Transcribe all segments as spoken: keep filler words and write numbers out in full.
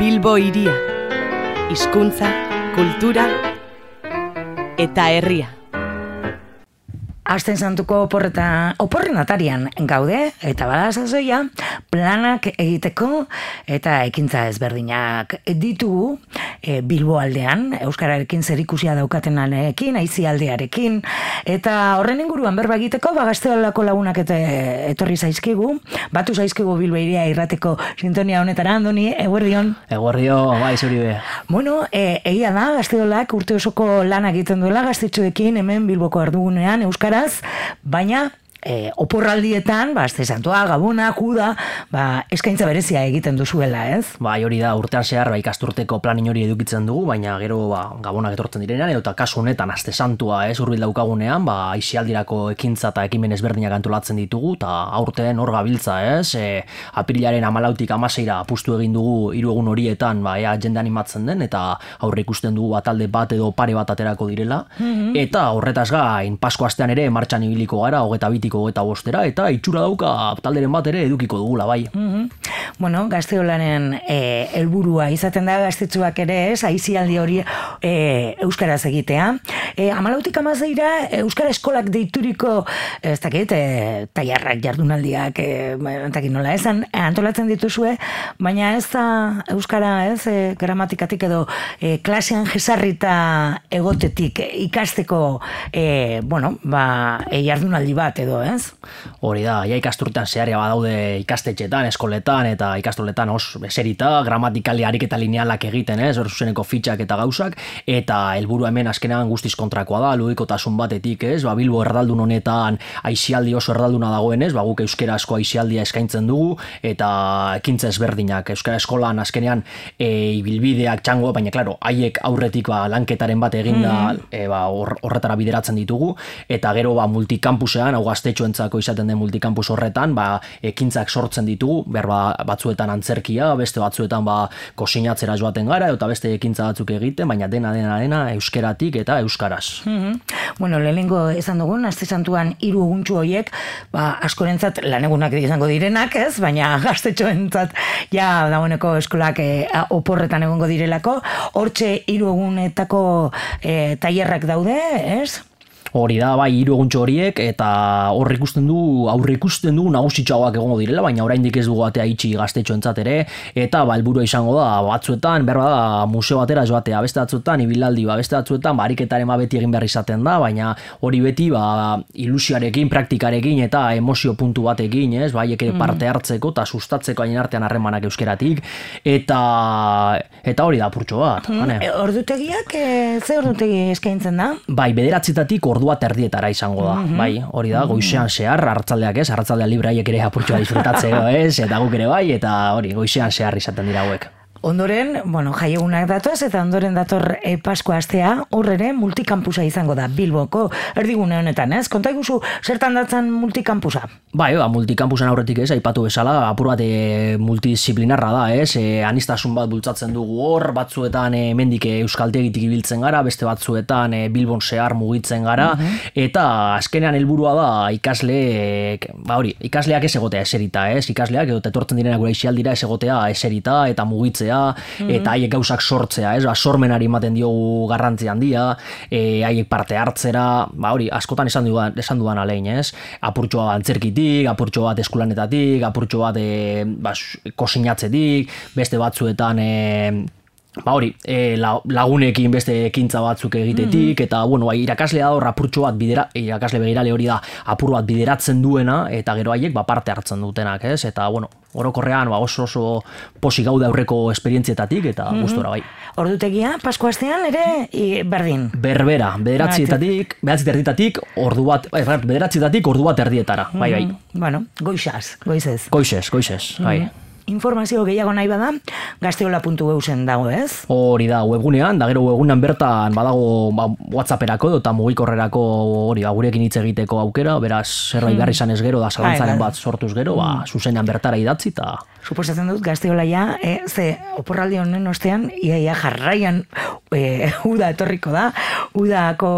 Bilbo hiria, hizkuntza, kultura eta herria. Aste santuko oporreta, oporren atarian gaude, eta bada sasoia, planak egiteko eta ekintza ezberdinak ditugu e, Bilbo aldean, euskararekin zerikusia daukatenarekin, aizialdearekin, eta horren inguruan berba egiteko, ba Gazteolako lagunak eta etorri zaizkigu, batu zaizkigu Bilbo hiria irrateko sintonia honetara, Andoni, eguerdion. Eguerdion, bai, zuri be. Bueno, e, egia da, Gazteolak urte osoko lana egiten duela, gaztetxoekin hemen Bilboko erdugunean, euskara, baina e, oporraldietan, ba, Aste Santua, Gabona, Kuda, ba, eskaintza berezia egiten duzuela, ez? Bai, hori da, urtean zehar, ba, ikasturteko planin hori edukitzen dugu, baina gero, ba, Gabonak etortzen direnean, eta kasu honetan, Aste Santua, ez, hurbil daukagunean, ba, aizialdirako ekintza eta ekimen ezberdinak antolatzen ditugu, eta aurten hor gabiltza, ez, e, apirilaren hamalautik hamaseira apustu egin dugu hiru egun horietan, ba, ea jende animatzen den, eta aurre ikusten dugu batalde bat edo pare bat aterako direla, mm-hmm. eta horretaz gain, Pasko astean ere martxan ibiliko gara, hogeta bitik eta bostera, eta itxura dauka talderen bat ere edukiko dugula, bai. Mm-hmm. Bueno, Gazteolanen e, helburua izaten da gaztetxoak ere, ez, aizialdi hori e, euskaraz egitea. E, Hamalautik hamaseira euskara eskolak deituriko, ez dakit, e, tailarrak jardunaldiak, e, ez dakit nola esan, antolatzen dituzue, baina ez da euskara, ez, e, gramatikatik edo e, klasean jesarrita egotetik ikasteko, e, bueno, ba, e, jardunaldi bat edo, ez? Hori da, ja ikasturtean zeharia badaude ikastetxetan, eskoletan eta ikastoletan os eserita, gramatikali ariketa linealak egiten, ez, hor zuzeneko fitxak eta gauzak, eta helburua hemen azkenean guztiz kontrakoa da, ludikotasun batetik, ez, ba, Bilbo erdaldun honetan aizialdi oso erdalduna dagoenez, ba, guk euskera asko aizialdia eskaintzen dugu, eta ekintza ezberdinak, euskara eskolan azkenean e, ibilbideak txango, baina, klaro, haiek aurretik ba, lanketaren bat eginda, mm-hmm. e, ba, or, horretara bideratzen ditugu, eta gero ba, multikampusean, hau gaztetxoentzako izaten den multikampus horretan, ba, ekintzak sortzen ditugu, berba batzuetan antzerkia, beste batzuetan ba, kosinatzera joaten gara, eta beste ekintza batzuk egiten, baina dena dena dena euskeratik eta euskaraz. Mm-hmm. Bueno, lehenengo esan dugun, Aste Santuan hiru eguntxu horiek, ba, askorentzat lanegunak izango direnak, ez? Baina gaztetxoentzat ja dagoeneko eskolak e, oporretan egongo direlako, hortxe hiru egunetako e, tailerrak daude, ez? Hori da, bai, hiru eguntxo horiek, eta hor ikusten du, aurre ikusten du nagusitxoak egongo direla, baina oraindik ez dugu atea itxi gaztetxoentzat ere, eta ba, helburua izango da, batzuetan, berba da, museo batera joatea, beste batzuetan, ibilaldi, ba, beste batzuetan, ba, ariketaren ba, beti egin behar izaten da, baina hori beti, ba, ilusioarekin, praktikarekin, eta emozio puntu batekin, ez, ba, haiek ere parte hartzeko, eta sustatzeko hain artean harremanak euskeratik, eta, eta hori da, apurtxo bat. Mm, e, ordutegiak, e, ze ordutegi eskaintzen da? Bai, bederatzitatik ordua terdietara izango da, mm-hmm. bai, hori da, goizean zehar, arratzaldeak ez, arratzaldea libre haiek ere apurtxoa disfrutatzeko ez, eta guk ere bai, eta hori, goizean zehar izaten dira hauek. Ondoren, bueno, jaiegunak datoz eta ondoren dator e, Pasko astea, horrere multikampusa izango da Bilboko erdigune honetan, ez? Konta iguzu, zertan datzan multikampusa? Bai, ba, multikampusan aurretik ez, aipatu bezala, apur bat e, multidisciplinarra da, ez? E, anistasun bat bultzatzen dugu hor, batzuetan e, mendik euskaltegitik ibiltzen gara, beste batzuetan e, Bilbon zehar mugitzen gara, uh-huh. eta azkenean helburua da ikasleek, ba hori, ikasleak ez egotea eserita, ez? Ikasleak edo etortzen direnak gure aizialdira ez egotea eserita eta mugitzea, mm-hmm. eta haiek gauzak sortzea, ez? Ba, sormenari ematen diogu garrantzi handia, e, haiek parte hartzera, ba hori, askotan esan dudan, esan dudan alein, ez? Apurtxo bat antzerkitik, apurtxo bat eskulanetatik, apurtxo bat e, ba, kosinatzetik, beste batzuetan e, ba hori, e, lagunekin beste ekintza batzuk egitetik, mm-hmm. eta bueno, ba, irakaslea da hor apurtxo bat bidera, irakasle begirale hori da apur bat bideratzen duena, eta gero haiek ba, parte hartzen dutenak, ez? Eta bueno, orokorrean ba, oso oso posi gaude aurreko esperientzietatik, eta mm-hmm. gustora bai. Ordutegia, Pasko astean ere i, berdin? Berbera, bederatzietatik, bederatzietatik ordu bat, bederatzietatik ordu bat erdietara, mm-hmm. bai, bai. Bueno, goizaz, goizez. Goizez, goizez, mm-hmm. bai. Informazio gehiago nahi bada, gazteola puntu eu zen dago, ez? Hori da, webgunean, da gero webgunean bertan badago ba, WhatsApperako eta mugikorrerako hori ba, gurekin hitz egiteko aukera, beraz, zerbait behar izan ez gero, da zalantzaren bat sortuz gero, ba, zuzenean bertara idatzi eta... Suposatzen dut, gazteola ja, e, ze oporraldi honen ostean, iaia jarraian e, uda etorriko da, udako,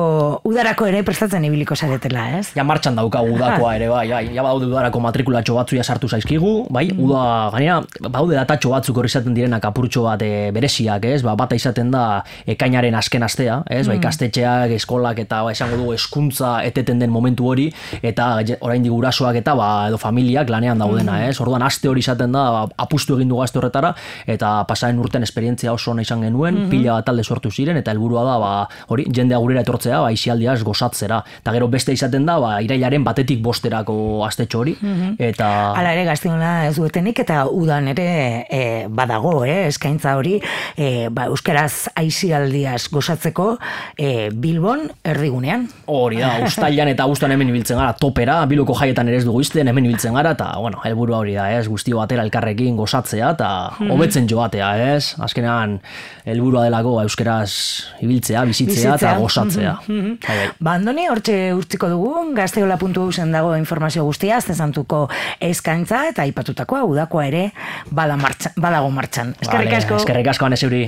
udarako ere prestatzen ibiliko zaretela, ez? Ja martxan daukagu udakoa ere, bai, bai, ja badaude udarako matrikulatxo batzu ja sartu zaizkigu, bai, mm. uda, gainera, badaude datatxo batzuk hori izaten direnak apurtxo bat e, bereziak, ez? Ba, bata izaten da ekainaren azken astea, ez? Ba, ikastetxeak, eskolak eta ba, esango du hezkuntza eteten den momentu hori, eta oraindik gurasoak eta ba, edo familiak lanean daudena, ez? Orduan aste hori izaten da, ba, apustu egin du gazte horretara, eta pasaren urten esperientzia oso ona izan genuen, mm -hmm. pila bat talde sortu ziren, eta helburua da, ba, hori, jendea gurera etortzea, ba, isialdiaz gozatzera. Eta gero beste izaten da, ba, irailaren batetik bosterako astetxo hori, mm -hmm. eta... Hala ere, Gaztinola ez duetenik, eta udan ere e, badago, eh? Eskaintza hori, e, ba, euskaraz aisialdiaz gozatzeko e, Bilbon erdigunean. Hori da, uztailan eta abuztuan hemen ibiltzen gara, topera, Bilboko jaietan ere ez dugu izten, hemen ibiltzen gara, eta, bueno, helburua hori da, ez, guztio batera elkarrekin gozatzea, eta hobetzen joatea, ez, azkenean, helburua delako euskeraz ibiltzea, bizitzea, bizitzea. Eta gozatzea. Mm-hmm. Ba, Andoni, hortxe urtziko dugu, gazteola puntu eusen dago informazio guztia, zezantuko eskaintza, eta aipatutakoa udakoa ere bada martxan, badago martxan. Eskerrik asko. Eskerrik asko, Ane Zeuri.